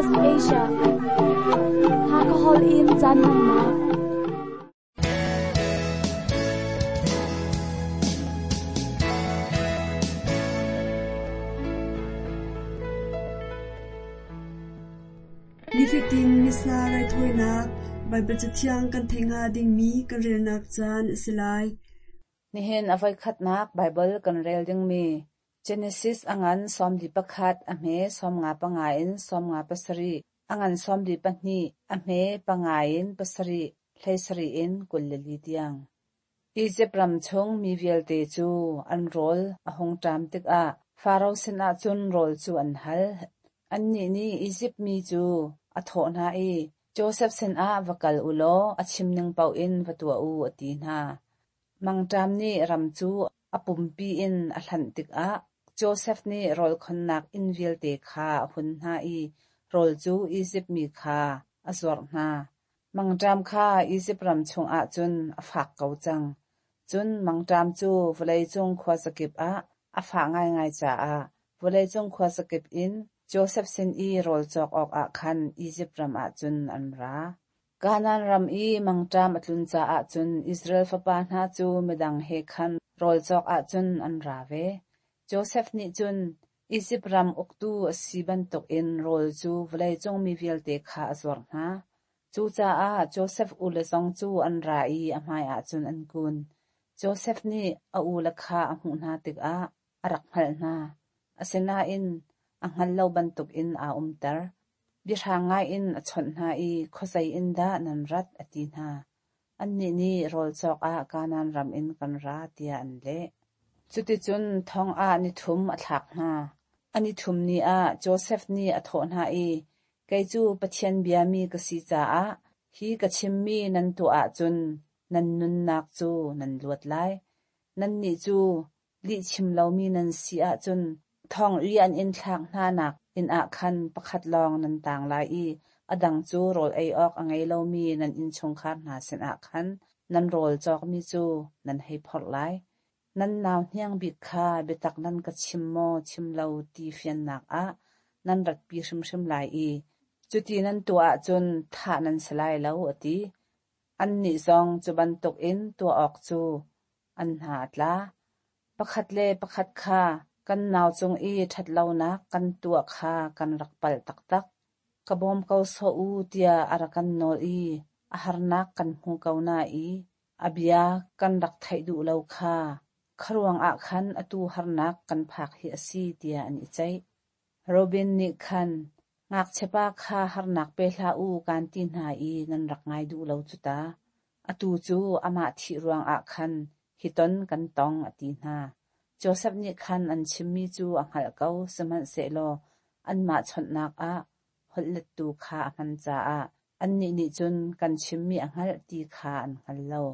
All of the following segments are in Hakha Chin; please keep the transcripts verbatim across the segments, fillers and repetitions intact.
S B S Asia. Hakahol in caan hmannak. Nifatin Missa raithawinak Baibal Cathiang kan theih hnga dingmi kan relnak caan a si lai. Nihin a voikhatnak Baibal kan rel dingmi Genesis a ngan sawmli pakhat a hme sawmnga panga in sawmnga pasarih, a ngan sawmli pahnih a hme panga in pasarih, hleisarih in kul le li tiang. Izipt ram chung mi vialte cu an rawl a hung ṭam tikah Faro sinah cun rawl cu an hal. Annih nih Izipt mi cu a thawh hna i, Josef sinah va kal u law a chim ning paoh in va tuah u, a ti hna. Mangṭam nih ram cu a pumpi in a hlanh tikah Josef nih rawl khonnak inn vialte kha a hun hna i rawl cu Izipt mi kha a zuarh hna. Mangṭam kha Izipt ram chungah cun a fak ko cang. Cun mangṭam cu vawleicung khuazakip ah a fah ngaingai caah vawleicung khuazakip in Josef sin i rawl cawk awkah khan Izipt ram ah cun an ra. Kanaan ram i mangṭam a tlun caah cun Israel fapa hna cu midang he khan rawl cawk ah cun an ra ve. Josef nih cun Izipt ram uktu a si bantukin rawl cu vawleicung mi vialte kha a zuarh hna. Cucaah Josef ule zong cu an ra i a hmaiah cun an kun. Josef nih a ule kha a hmuh hna tikah a rak hngalh hna. Asinain a hngal lo bantukin aa umter. Biahrang ngaiin a chawnh hna i khuazei in dah nan rat a ti hna. Annih nih rawl cawk ah Kanaan ram in kan ra tiah an leh. Cuticun thong ah nithum a thlak hna. A nithum ni ah Josef nih a thawh hna i, kei cu Pathian biami ka si caah hi ka chimmi nan tuah ahcun nan nunnak cu nan luat lai. Nannih cu lihchim lomi nan si ahcun thong i an in thlak hnanak inn ah khan pakhat lawng nan tang lai i a dang cu rawl ei awk a ngei lomi nan innchungkhar hna sinah khan nan rawl cawkmi cu nan hei phorh lai. Nan nau hniang bik kha biatak nan ka chim maw chim lo ti fiannak ah nan ratpi hrimhrim lai i cuti nan tuah ahcun thah nan si lai lo, a ti. Annih zong cu bantukin tuah awk cu an hna a tla. Pakhat le pakhat kha kan nau cung i ṭhatlonak kan tuah kha kan rak palh taktak. Ka bawm ko sawh u tiah a rak kan nawl i a harnak kan hmu ko na i a bia kan rak theih duh lo kha kharuang ah khan atu harnak kan phak hi a si tiah an i ceih. Robin nih khan ngakchiapa kha harnak pe hlah u kan ti hna i nan rak ngai duh lo cu ta. Atu cu amah thih ruangah khan hi ton kan tong a ti hna. Josef nih khan an chimmi cu a hngalh ko, sihmanhsehlaw anmah chawnhnak ah holhlettu kha a hman caah annih nih cun kan chimmi a hngalh ti kha an hngal lo.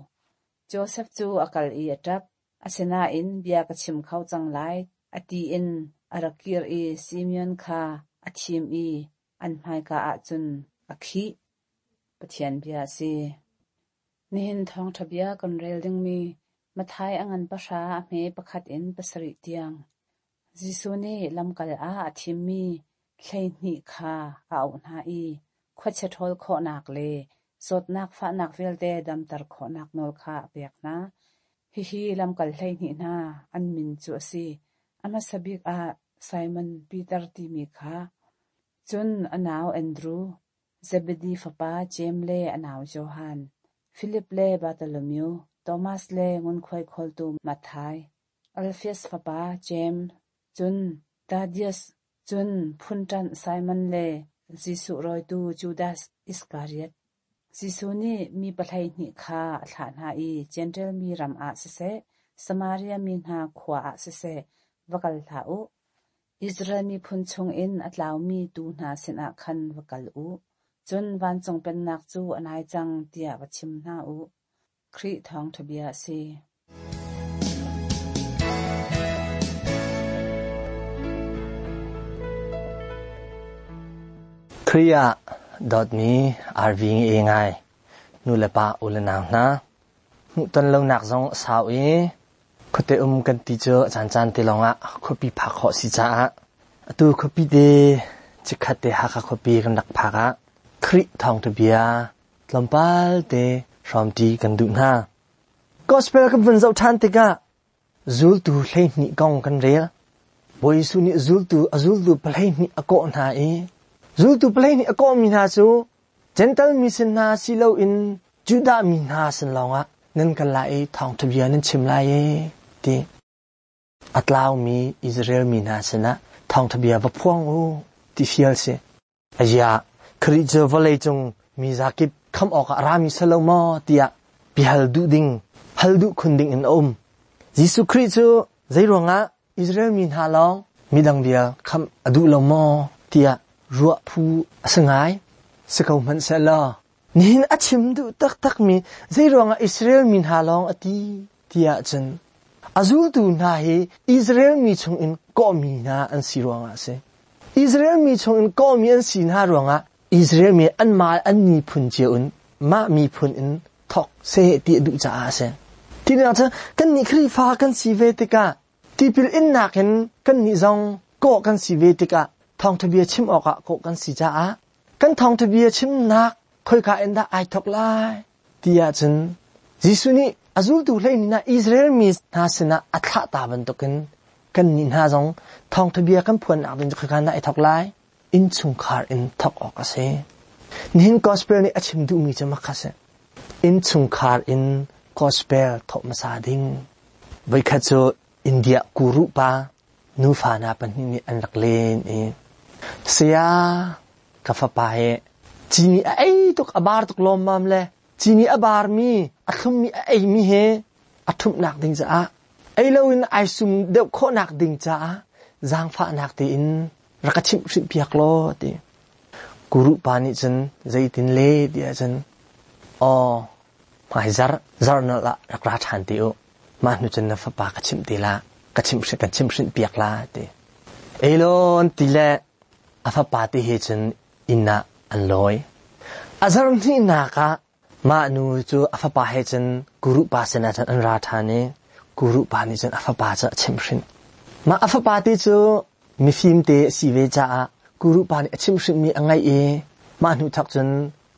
Josef cu a kal i a ṭap. Asinain bia ka chim kho cang lai a ti in a rak kir i Simeon kha a thim i an hmaika ah cun a khih. Pathian bia a si. Nihin thawngṭha bia kan rel dingmi Matthai a ngan pahra a hme pakhat in pasarih tiang. Jesuh nih lamkal ah a thimmi hleihnih kha a auh hna i khuachia ṭhawl khawhnak le zawtnak fahnak vialte damter khawhnak nawl kha a pek hna. Hihi lamkal hleihnih hna an min cu a si. A hmasa bik ah Simon Peter timi kha, cun a nau Andru, Zebedi fapa Jeim le a nau Johan, Filip le Bartholomew, Thomas le ngunkhuai khawltu Matthai, Alfeus fapa Jeim, cun Thaddeus, cun phunṭanh Simon le Jesuh rawitu Judas Iskariot. Jesuh nih mi pahleihnih kha a thlah hna i Jentail mi ram ah siseh, Samaria mi hna khua ah siseh, va kal hlah u. Israel miphun chungin a tlaumi tuu hna sinah khan va kal u. Cun vancung pennak cu a nai cang tiah va chim hna u. Khrih thawngṭha bia a si. Khrih ah dawtmi R V nge ngai nu le pa u le nau hna hmuhton lonak zong a sau i khuate um kan ti cu caan caan te lawngah khuapi phak khawh si caah atu khuapi te Chikhat te Hakha khuapi kan rak phak ah Khrih thawngtha bia tlawmpal te hrawmṭi kan duh hna. Gospel kan vun zoh ṭhan tikah zultu hleihnih kong kan rel. Bawi Jesuh nih zultu a zultu pahleihnih a kawh hna i zultu pahleihnih a kawhmi hna cu Gentle mi sin hna si loin Judah mi hna sin lawngah nan kal lai i thawngtha bia nan chim lai e ti. A tlaumi Israel mi hna sinah thawngtha bia va phuang u ti fial si. Aya Khrih cu vawlei cung mi zakip kham awk ah rami salo maw tiah bihal duh ding hal duh khun ding in a um. Jesuh Khrih cu zeiruangah Israel mi hna lawng midang bia kham a duh lo maw tiah ruah phu a si ngai. Si ko hmanh sehlaw nihin a chim duh taktak mi zeiruangah Israel mi hna lawng a ti tiah cun a zultu hna hi Israel mi chungin kawhmi hna an si ruangah a si. Israel mi chungin kawhmi an si hna ruangah Israel mi anmah an miphun cio in mah miphun in thok seh ti a duh caah a si. Tinak cun kannih Khrihfa kan si ve tikah tipil innak in kannih zong kawh kan si ve tikah thawngtha bia chim awkah kawh kan si caah kan thawngtha bia chimnak khoika in dah ai thok lai tiah cun Jesuh nih a zultu hleihnih hna Israel mi hna sinah a thlah ta bantukin kannih hna zong thawngtha bia kan phuannak ding cu khoika in dah ai thok lai innchungkhar in thok awk a si. Nihin gospel nih a chim duhmi cu makha si. Innchungkhar in gospel thok hmasa ding. Voikhat cu India guru pa nufa hna pahnih nih an rak len i saya ka fapa he cini a ei tuk a bar tuk lawmmam le cini a barmi a thlummi a eimi he a ṭhumhnak ding caah ei loin ai sum deuh khawhnak ding caah zaangfahnak tein rak ka chimh hrimh piak law ti. Guru pa nih cun zeitin le tiah cun aw hmai zar zar nal ah rak ra ṭhan ti u mah hnu cun na fapa ka chimh ti la ka chimh kan chimh hrimh piak la ti. Elon ti le a fapa ti he cun inn ah an lawi. A zar hnihnak ah mah nu cu a fapa he cun guru pa sinah cun an ra ṭhan i guru pa nih cun a fapa cu a chimh hrimh. Mah a fapa ti cu mifim te a si ve caah guru pa nih a chimh hrimhmi a ngaih i mah hnu thok cun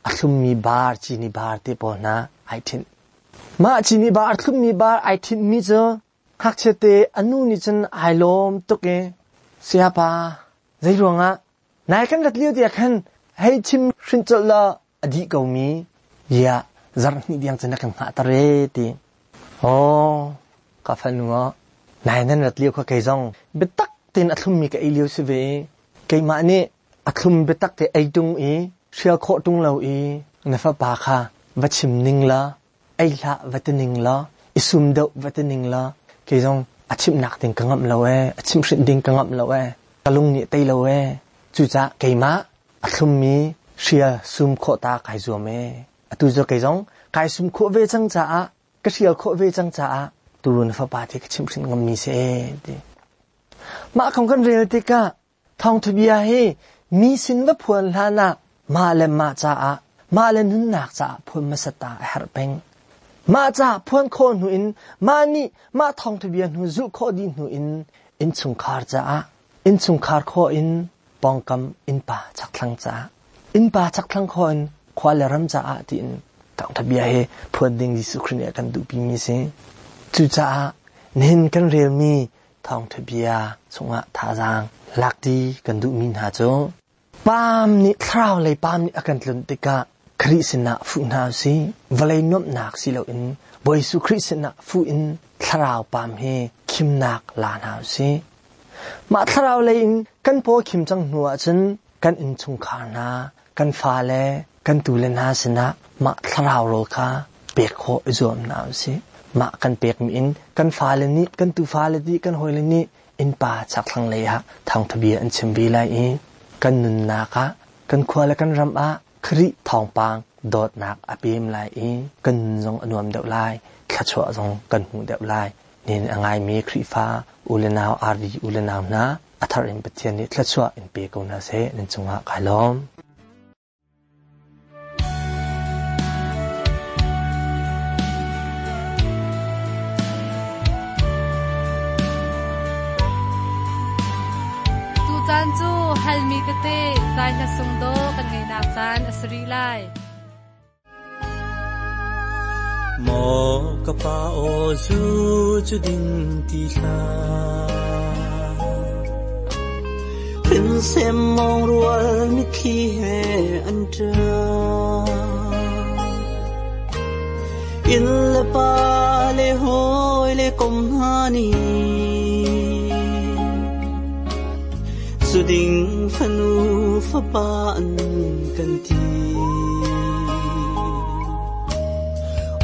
a thlummi bar cini bar te pawl hna ai ṭhinh. Mah cini bar a thlummi bar ai ṭhinhmi cu ngakchia te a nu nih cun ai lawm tuk i sayapa zeiruangah nai kan rat lio tiah khan hei chim hrin colh law a dih ko mi ya zarh hnih diang cun na kan hngah ter e ti. Aw ka fanu aw nai nan rat lio kha kei zong biatak tein a thlummi ka ei lio si ve i keimah nih a thlum biatak te ei tung i hrial khawh tung lo i na fapa kha va chim ning la ei hlah va ti ning la i sum deuh va ti ning la kei zong a chimhnak ding ka ngamh lo e a chimh hrin ding ka ngamh lo e ka lung nih tei lo e cucaah keimah a thlummi hrial sum khawh ta kai zuam e atu cu kei zong kai sum khawh ve cang caah ka hrial khawh ve cang caah tu na fapa te ka chimh hrin ngammi si e ti. Mah kong kan rel tikah thawngtha bia hi mi sin va phuan hlan ah mah le mah caah mah le nunnak caah phuan hmasa ta a herh peng. Mah caah phuan khawh hnu in mah nih mah thawngtha bia hnu zulh khawh dih hnu in innchungkhar caah innchungkhar khawh in pawngkam innpa chakthlang caah innpa chakthlang khawh in khua le ram caah tiin thawngtha bia hi phuan ding Jesuh Khrih nih a kan duhpi mi si. Cucaah nihin kan relmi thawngtha bia chungah thazaang lakti kan duhmi hna cu paam nih thlarau lei paam nih a kan tlunh tikah Khrih sinah fuh hna usih. Vawlei nuamhnak si loin Bawi Jesuh Khrih sinah fuh in thlarau paam hi khimnak la hna usih. Mah thlarau lei in kan paw khim cang hnu ahcun kan innchungkhar hna, kan fale, kan tule hna sinah mah thlarau rawl kha pek khawh i zuam hna usih. Mah kan pekmi in kan fale nih, kan tufale nih, kan hawile nih innpa chakthlang lei ah thawngtha bia an chim ve lai i kan nunnak ah, kan khua le kan ram ah Khrih thawngpang dawtnak a pem lai i kan nun zong a nuam deuh lai, thluachuah zong kan hmu deuh lai. Nin a ngaimi Khrihfa u le nau R V u le nau hna a thar in Pathian nih thluachuah in pe ko hna seh. Nan cungah kai lawm. Tutan cu Halmi tete zai hla sung do kan ngei nak caan a sari lai. Mo ka pa o zu chu ding ti hla Pin sem mong rual mi thi he an tra In le pa le hoi le kom hani Zu ding fanu fa pa an kan ti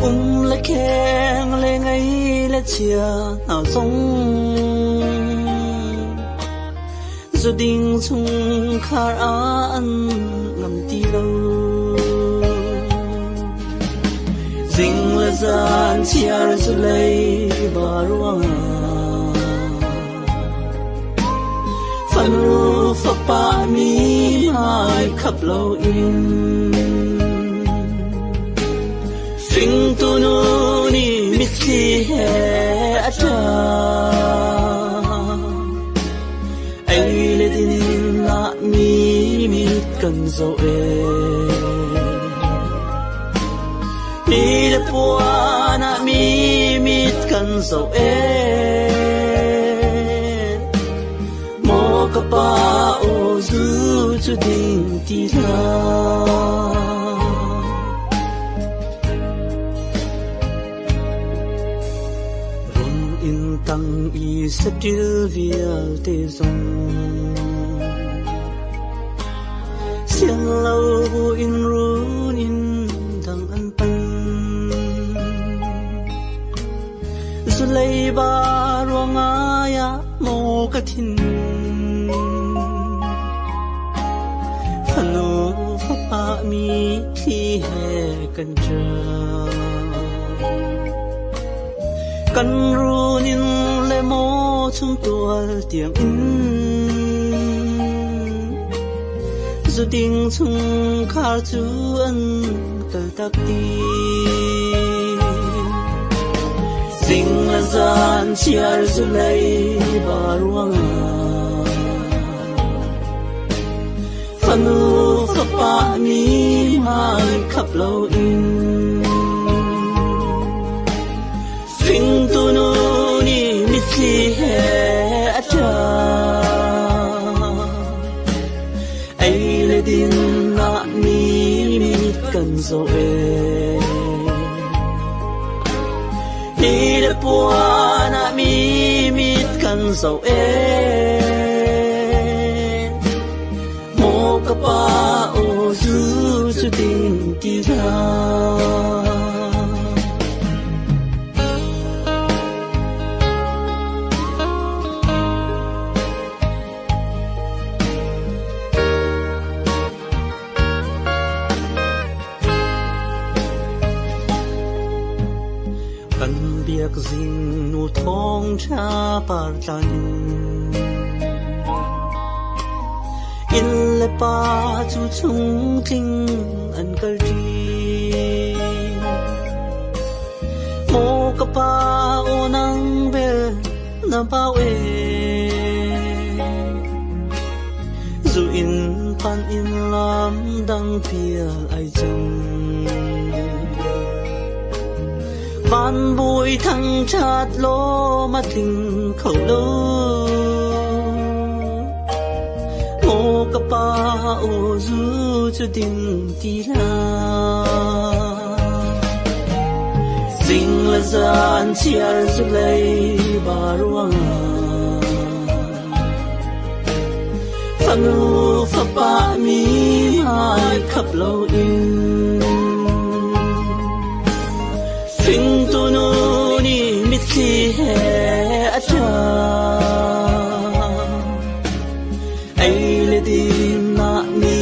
Um le keng le ngai le chia nào song Zu ding chung khar an ngam ti lo Ding le zan chiar zu lei ba ruang Fanu fa pa mi mai khap lo in Sing tu nu ni mit thi he a cha Ai le din na mi mi kan zo e Ni le pua na mi mit kan zo e Mo ka pa o zu chu ding ti la Run in tang i satil vial te zong Siang lo bu in run in dang an pan Zu lei ba ruang aya mo ka thin Fanu fa pa mi thi he kan cha Kan run in le mo chung tual tiang in Zu ding chung khar chu an kal tak ti Ding la zan chiar zu lei ba ruang Fanu fa pa mi mai khap lo in Sing tu nu ni mi thi he a cha Ai le din na mi mi kan zo e Ni le pua na mi mi kan zo e Mo ka pa o zu zu ding ti la Kan biak zing nu thong cha par tlan In le pa chu chung ting an kal ti Mo ka pa o nang bel na pa we Zu in pan in lam dang pial ai chang Van bui thăng chát lô mà thình khẩu lô Mô ka pa ô du cho đình tì la Dinh là gian chiar zu lei ba ruang Fanu fa pa mi mai khap lo in Sing tu nu ni mit thi he a cha Ai le din na mi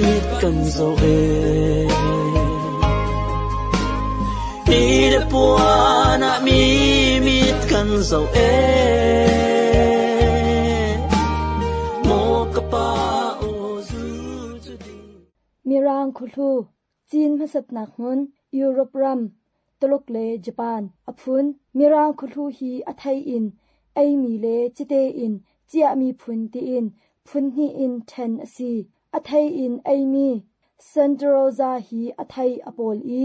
mit kan zo e Ni le pua na mi mit kan zo e Mo ka pa o zu chu ding Mirang khulu Chin masat nak mun Europe ram Tuluk le Japan aphun mirang khulu hi athai in ai mi le chite in chia mi phun ti in Phun hnih in ṭhen a si. A thei in eimi Santa Rosa hi a thei a pawl i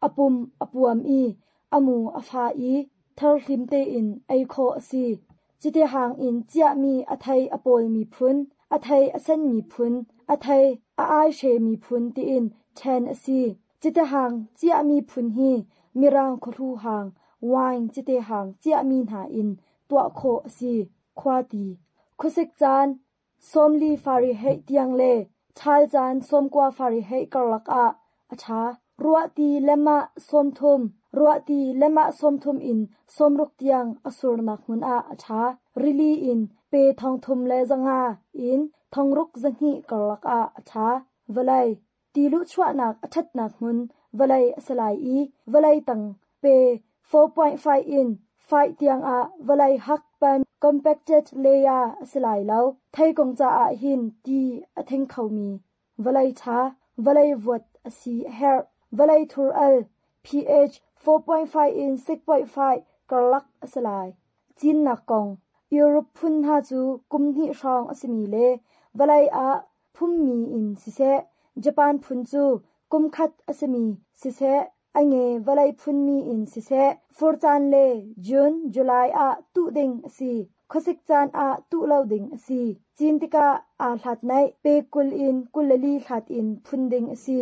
a pum a puam i a mu a fa i tharhlim tein ei khawh a si. Cite hang in ciahmi a thei a pawlmi phun, a thei a senmi phun, a thei a aihremi phun tiin ṭhen a si. Cite hang ciahmi phun hi Mirang khuahlu hang, wine cite hang ciahmi hna in tuah khawh a si. Khuati. Khuasik caan sawmli Fahrenheit tiang le ṭhal caan sawmkua Fahrenheit karlak ah a ṭha. Ruahti lemah sawmthum, ruahti lemah sawmthum in sawmruk tiang a surnak hmun ah a ṭha. Rili in pe thongthum le zanga in thongruk zahnih karlak ah a ṭha. Vawlei. Ti luhchuahnak a ṭhatnak hmun vawlei a si lai i vawlei tang pe four point five in five tiang ah vawlei hak pan compacted layer a si lai lo. Theikung caah hin ti a thing khomi vawlei ṭha, vawlei vuat a si a herh. Vawlei thur al pH four point five in six point five karlak a si lai. Cinnak kong. Europe phun hna cu kum hnih hrawng a simi le vawlei ah phummi in siseh, Japan phun cu kum khat a simi siseh, a nge vawlei phunmi in siseh, fur caan le June, July ah tuh ding a si. Khuasik caan ah tuh lo ding a si. Cin tikah aa hlat naih pe kul in kul le li hlat in phun ding a si.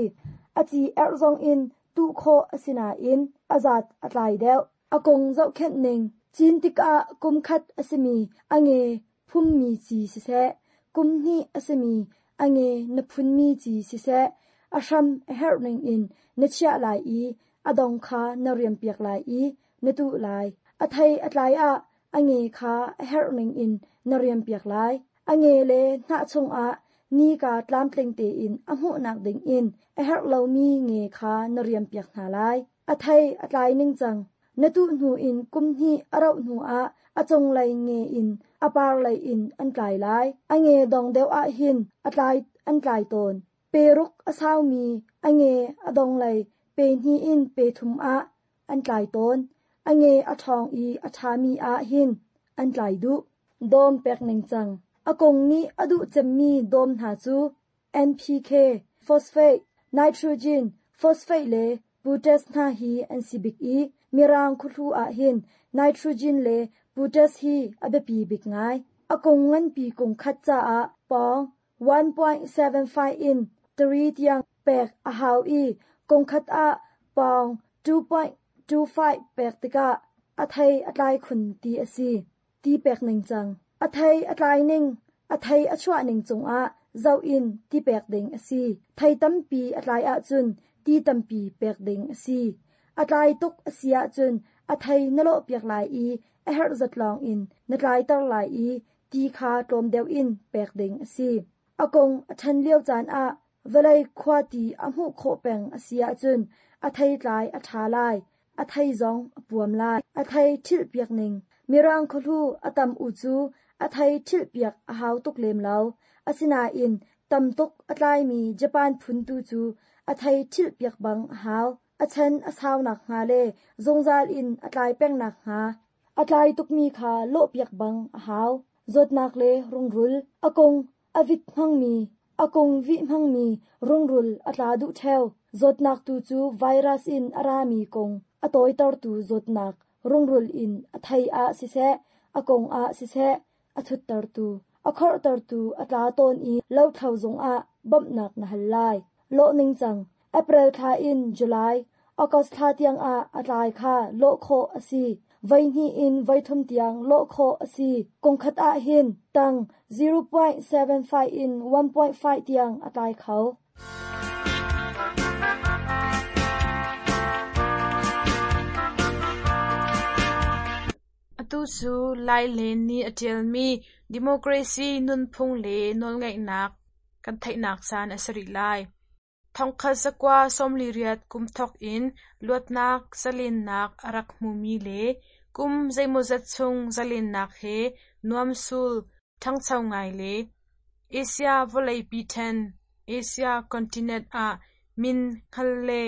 A ci erh zong in tuh khawh a si nain a zat a tlai deuh. A kung zohkhenh ning. Cin tikah kum khat a simi a nge phummi ci siseh, kum hnih a simi a nge na phunmi ci siseh, a hram a herh ning in na chiah lai i a dong kha na riampiak lai i na tuh lai. A thei a tlai ah a nge kha a herh ning in na riampiak lai. A nge le hnah chungah nika tlamtling tein a hmuhnak ding in a herh lomi nge kha na riampiak hna lai. A thei a tlai ning cang. Na tuh hnu in kum hnih a rauh hnu ah a cunglei nge in a parlei in an tlai lai. A nge dong deuh ah hin a tlai an tlai tawn. Peruk a saumi a nge a donglei pe hnih in pe thum ah an tlai tawn. A nge a ṭhawng i a ṭhami ah hin an tlai duh. Dawm pek ning cang. A kung nih a duh cemmi dawm hna cu N P K, phosphate, nitrogen, phosphate le potash hna hi an si bik i Mirang khuhlu ah hin nitrogen le potash hi a biapi bik ngai. A kung nganpi kung khat caah pawng one point seven five in three tiang pek a hau i kung khat ah pawng two point two five pek tikah a thei a tlai khun ti a si. Ti pek ning cang. A thei a tlai ning, a thei a chuah ning cungah zoh in ti pek ding a si. Thei tampi a tlai ahcun ti tampi pek ding a si. A tlai tuk a si ahcun a thei na lawh piak lai i a herh zat lawng in na tlaiter lai i ti kha tlawm deuh in pek ding a si. A kung a ṭhan lio caan ah vawlei khua ti a hmuh khawh peng a si ahcun a thei tlai a ṭha lai, a thei zong a puam lai. A thei ṭhilh piak ning. Mirang khuahlu a tam u cu a thei ṭhilh piak a hau tuk lem lo. Asinain tam tuk a tlaimi Japan phun tu cu a thei ṭhilh piak bang a hau. A chan a saunak hnga le zungzal in a tlai pengnak hnga. A tlai tukmi kha lawh piak bang a hau. Zawtnak le rungrul. A kung a vit hmangmi, a kung vih hmangmi rungrul a tla duh ṭheo. Zawtnak tu cu virus in a rami kung a tawitertu zawtnak rungrul in a thei ah siseh, a kung ah siseh, a thuttertu, a khorhtertu a tla tawn i lothlo zungah bawmhnak na hal lai. Lawh ning cang. April thla in July, August thla tiang ah a tlai kha lawh khawh a si. Voi hnih in voi thum tiang lawh khawh a si. Kung khat ah hin tang zero point seven five in one point five tiang a tlai kho. Atu cu Lai Len nih a ṭialmi Democracy nunphung le nawlngeihnak kan theihnak caan a si rih lai. Thongkhat zakua sawmli riat kum thawk in luatnak zalennak a rak hmumi le kum zeimawzat chung zalennak he nuamsul ṭhangcho ngai le Asia vawleipi ṭhen Asia continent ah min hngal le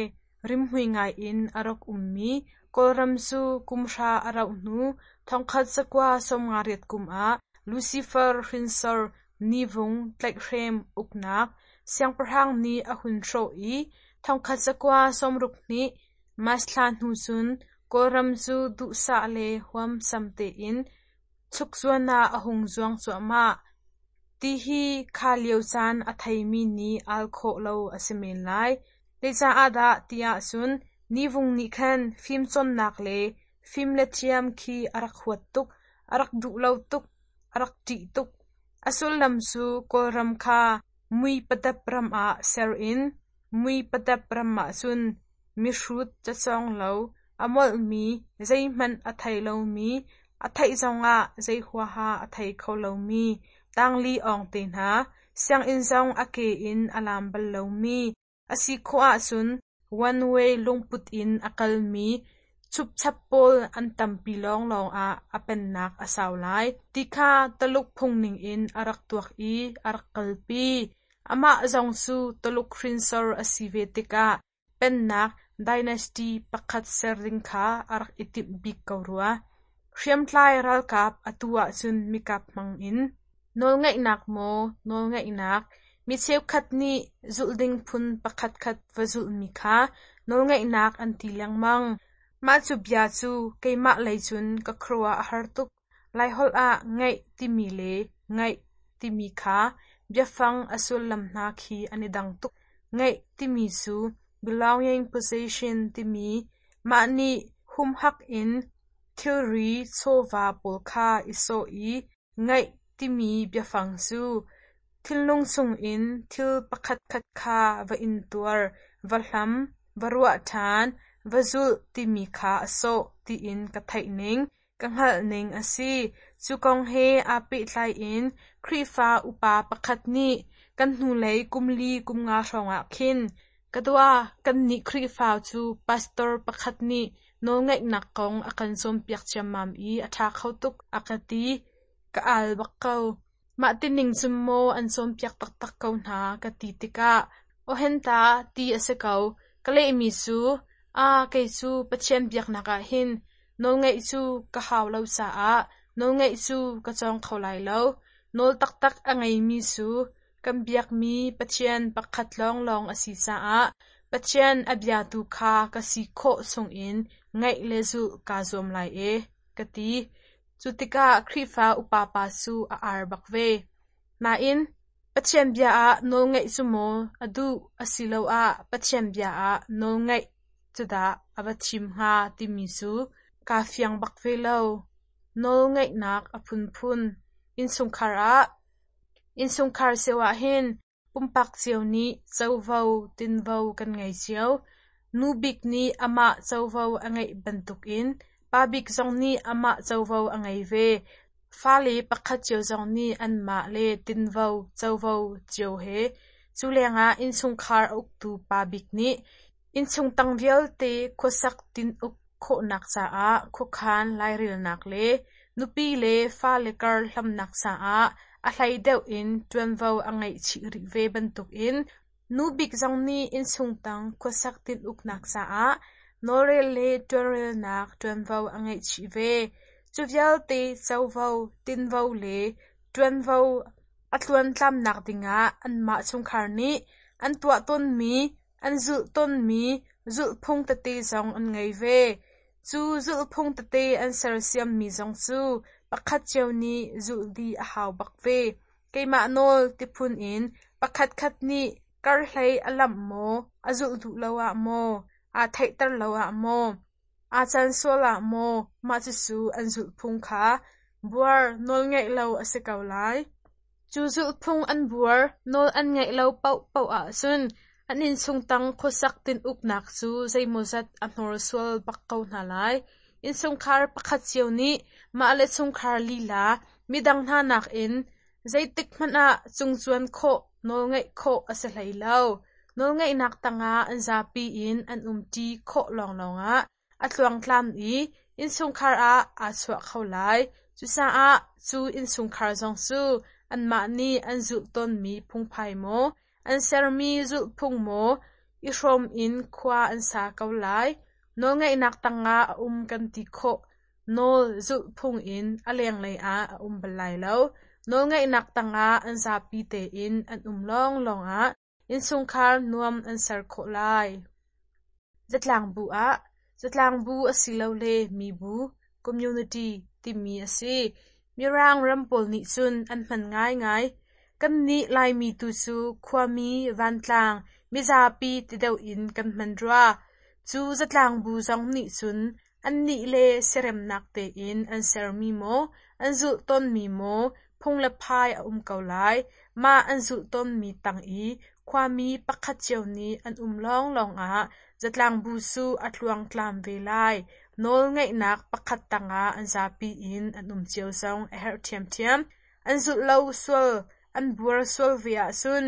rimhmui ngai in a rak ummi Kawlram cu kum hra a rauh hnu thongkhat zakua sawmnga riat kum ah Lucifer hrinsor Nivung tlaihhrem uknak siangpahrang nih a hun hrawh i thongkhat zakua sawmruk hnih March thla hnu cun Kawlram cu duhsah le huamsam tein chukzuan ah a hung zuang cuahmah. Ti hi kha lio caan a theimi nih al khawh lo a si men lai. Zeicah dah ti ahcun Nivung nih khan fimcawnnak le fim le thiam khi a rak huat tuk, a rak duh lo tuk, a rak ṭih tuk. A sullam cu Kawlram kha mui padap ram ah ser in mui padap ram ahcun mihrut cacawng lo, a molhmi, zeihmanh a thei lomi, a theih zongah zei huaha a thei kho lomi, tangli awng te hna, sianginn zong a ke in a lam bal lomi, a si khawh ahcun one way lungput in a kalmi chupchap pawl an tampi lawnglawng ah a pennak a sau lai ti kha Taluk phung ningin a rak tuak i a rak kalpi. Amah zong cu Taluk hrinsor a si ve tikah pennak dynasty pakhat ser ding kha a rak i timh bik ko rua. Hriamtlai ralkap atu ahcun mikap hmangin nawlngeihnak maw nawlngeihnak mi cheukhat nih zulh ding phun pakhatkhat va zulhmi kha nawlngeihnak an ti lengmang. Mah cu bia cu keimah lei cun ka khuaruah a har tuk. Laiholh ah ngeih timi le ngaih timi kha biafang a sullam hna khi an i dang tuk. Ngeih timi cu belonging possession timi mah nih humhak in thilri chawva pawl kha i sawh i ngaih timi biafang cu thinlung chungin thil pakhatkhat kha va intuar, va hlam, va ruah ṭhan, va zulh timi kha a sawh tiin ka theih ning, ka hngalh ning a si. Cu kong he aa pehtlai in Khrihfa upa pakhat nih kan hnulei kumli kumnga hrawngah khin ka dua kannih Khrihfa cu pastor pakhat nih nawlngeihnak kong a kan cawnpiak ciammam i a ṭha kho tuk a ka ti. Ka al bak ko. Mah tining cun maw an cawnpiak taktak ko hna ka ti tikah awhenta ti a si ko. Ka lehmi cu aa kei cu Pathian biaknak ah hin nawlngeih cu ka hau lo caah nawlngeih cu ka cawng kho lai lo. Nawl taktak a ngeimi cu kan biakmi Pathian pakhat lawnglawng a si caah Pathian a biatu kha ka si khawh chungin ngaih le zulh kaa zuam lai e, ka ti. Cu tikah Khrihfa upa pa cu a ar bak ve. Nain, Pathian bia ah nawlngeih cu maw a duh asiloah Pathian bia ah nawlngeih cu dah a va thim hnga timi cu kaa fiang bak ve lo. Nawlngeihnak a phunphun. Innchungkhar ah Innchungkhar cio ah hin pumpak cio nih covo tinvo kan ngei cio. Nu bik nih amah covo a ngeih bantukin pa bik zong nih amah covo a ngei ve. Fale pakhat cio zong nih anmah le tinvo covo cio he. Cu lengah innchungkhar a uktu pa bik nih innchung tang vialte khuasak tin-uk khawhnak caah khuakhan lairelnak le nupi le fale kar hlamnak caah a hlei deuh in ṭuanvo a ngeih chih rih ve bantukin nu bik zong nih innchung tang khuasak tin-uknak caah nawlrel le ṭuanrelnak ṭuanvo a ngeih chih ve. Cu vialte covo, tinvo le ṭuanvo a tluantlamnak dingah anmah chungkhar nih an tuah tawnmi, an zulh tawnmi zulhphung tete zong an ngei ve. Cu zulhphung tete an sersiammi zong cu pakhat cio nih zulh dih a hau bak ve. Keimah nawl tiphun in pakhatkhat nih karhlei a lamh maw, a zulh duh lo ah maw, aa theihter lo ah maw, aa can sual ah maw, mah cucu an zulhphung kha buar nawlngeih lo a si ko lai. Cu zulhphung an buar nawl an ngeih lo paohpaoh ahcun an innchung tang khuasak tin-uknak cu zeimawzat a hnorsual bak ko hna lai. Innchungkhar pakhat cio nih mah le chungkhar lila midang hna nakin zeitik hmanh ah cungcuan khawh nawlngeih khawh a si hlei lo. Nawlngeihnak tangah an zapi in an umṭi khawh lawnglawng ah a tluangtlam i innchungkhar ah aa chuah kho lai. Cucaah cu innchungkhar zong cu anmah nih an zulh tawnmi phungphai maw, an sermi zulhphung maw i hrawm in khua an sa ko lai. Nawlngeihnak tangah a um kan ti khawh. Nawl zulhphung in a lenglei ah a um bal lai lo. Nawlngeihnak tangah an zapi tein an um lawnglawng ah innchungkhar nuam an ser khawh lai. Zatlangbu ah zatlangbu asilole mibu (community) timi a si. Mirang ram pawl nih cun an hman ngaingai. Kannih Laimi tu cu khuami, vantlang, mizapi ti deuh in kan hman rua. Cu zatlangbu zong nih cun annih le siaremnak tein an sermi maw, an zulh tawnmi maw phung le phai a um ko lai. Mah an zulh tawnmi tang i khuami pakhat cio nih an um lawnglawng ah zatlangbu cu a tluangtlam ve lai. Nawlngeihnak pakhat tangah an zapi in an um cio zong a herh ṭhiamṭhiam. An zulh lo sual, an buar sual ve ahcun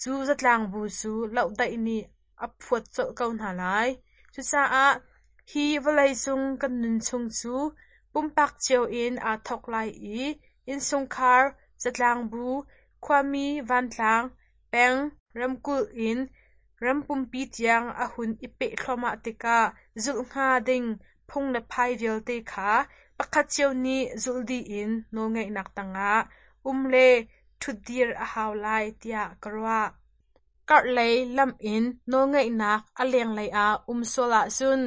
cu zatlangbu cu lohdaih nih a phuat colh ko hna lai. Cucaah hi vawleicung kan nun chung cu pumpak cio in aa thawk lai i innchungkhar, zatlangbu, khuami, vantlang, peng, ramkulh in ram pumpi tiang a hun i peh thluahmah tikah zulh hnga ding phung le phai vialte kha pakhat cio nih zulh dih in nawlngeihnak tangah um le ṭhutdir a hau lai tiah ka ruah. Karhlei lam in nawlngeihnak a lenglei ah um sual ahcun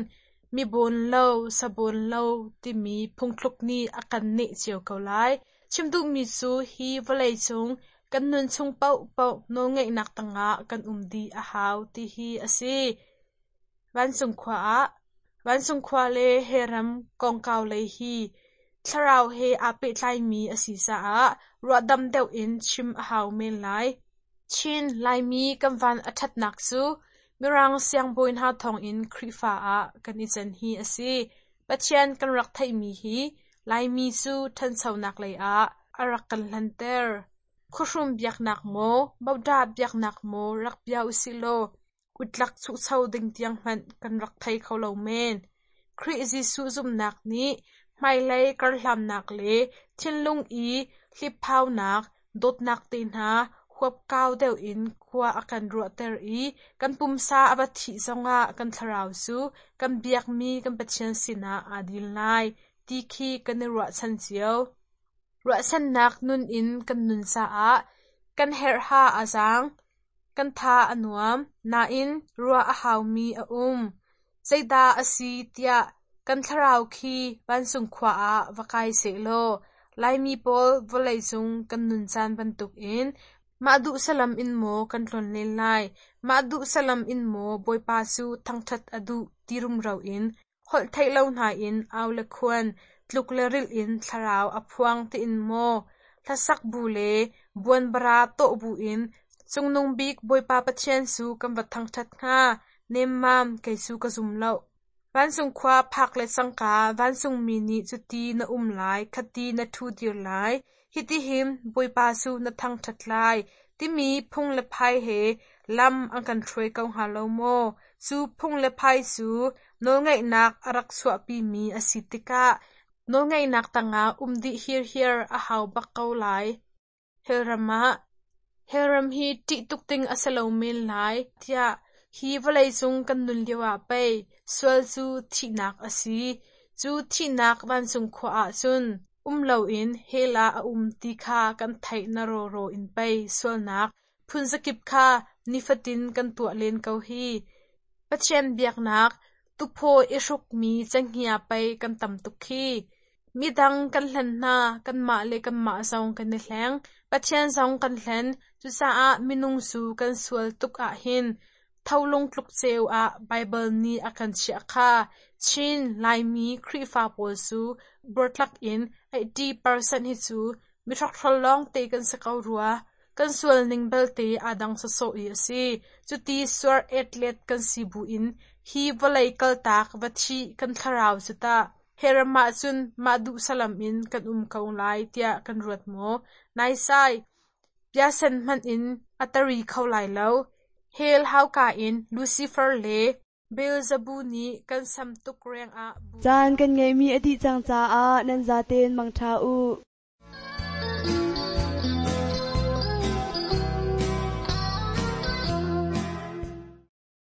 mi bawn lo, sa bawn lo timi phungthluk nih a kan neh cio ko lai. Chim duhmi cu hi vawleicung kan nun chung paohpaoh nawlngeihnak tangah kan um dih a hau ti hi a si. Vancung khua ah Vancung khua le he ram kongkau lei hi thlarau he aa pehtlaimi a si caah ruahdam deuh in chim a hau men lai. Chin Laimi kan van a ṭhatnak cu Mirang siangbawi hna thawngin Khrihfa ah kan i can hi a si. Pathian kan rak theihmi hi Laimi cu ṭhanchonak lei ah a rak kan hlanter. Khuahrum biaknak maw, Bodah biaknak maw rak bia usih law utlak chuhcho ding tiang hmanh kan rak thei kho lo men. Khrih Jesuh zumhnak nih hmailei karhlannak le thinlung i hlipphaunak, dawtnak te hna huapkau deuh in khua a kan ruahter i kan pumsa a va thih zongah kan thlarau cu kan biakmi kan Pathian sinah aa dil lai ti khi kan i ruahchan cio. Ruahchannak nun in kan nun caah kan herhha a zaang, kan tha a nuam, nain ruah a haumi a um. Zeidah a si tiah kan thlarau khi vancung khua ah va kai sehlaw Laimi pawl vawleicung kan nun caan bantukin mah duh salam in maw kan tlonlen lai, mah duh salam in maw Bawipa cu thangṭhat a duh ti rumro in holh theih lo hna in au le khuan, tluk le rilh in thlarau a phuang tiin maw hlasak bu le buanbara tawh bu in Cungnung bik Bawipa Pathian cu kan va thangṭhat hnga, nemmam kei cu ka zum lo. Vancung khua phak le cangka vancungmi nih cuti na um lai, khati na ṭhudir lai, hitihin Bawipa cu na thangṭhat lai, timi phung le phai he lam an kan hruai ko hnga lo maw? Cu phung le phai cu nawlngeihnak a rak chuahpimi a si tikah nawlngeihnak tangah um dih hirhiar a hau bak ko lai. Hellram ah Hellram hi ṭih tuk ding a si lo men lai tiah hi vawleicung kan nun lioah pei sual cu thihnak a si. Cu thihnak vancung khua ah cun um loin hell ah a um ti kha kan theih na rawraw in pei sualnak phunzakip kha nifatin kan tuah len ko hi. Pathian biaknak tuphaw i hrukmi cenghngia pei kan tam tuk hi. Midang kan hlen hna, kanmah le kanmah zong kan i hleng. Pathian zong kan hlen. Cucaah minung cu kan sual tuk ahhin tholung tluk ceu ah Baibal nih a kan chiah kha. Chin Laimi Khrihfa pawl cu buartlak in eighty percent hi cu mihrokhrol lawngte kan si ko rua. Kan sual ning belte aa dang sawsawh i a si. Cuti suar etlet kan si buin hi vawlei kaltak va thih kan thlarau cu tah hellram ah cun mah duh salam in kan um ko lai tiah kan ruat maw? Naisai, piasen hmanh in a tari kho lai lo. Hell hauka in Lucifer le Beelzebub nih kan sam tuk rengah Caan kan ngeihmi a dih cang caah nan zaten mangṭha u.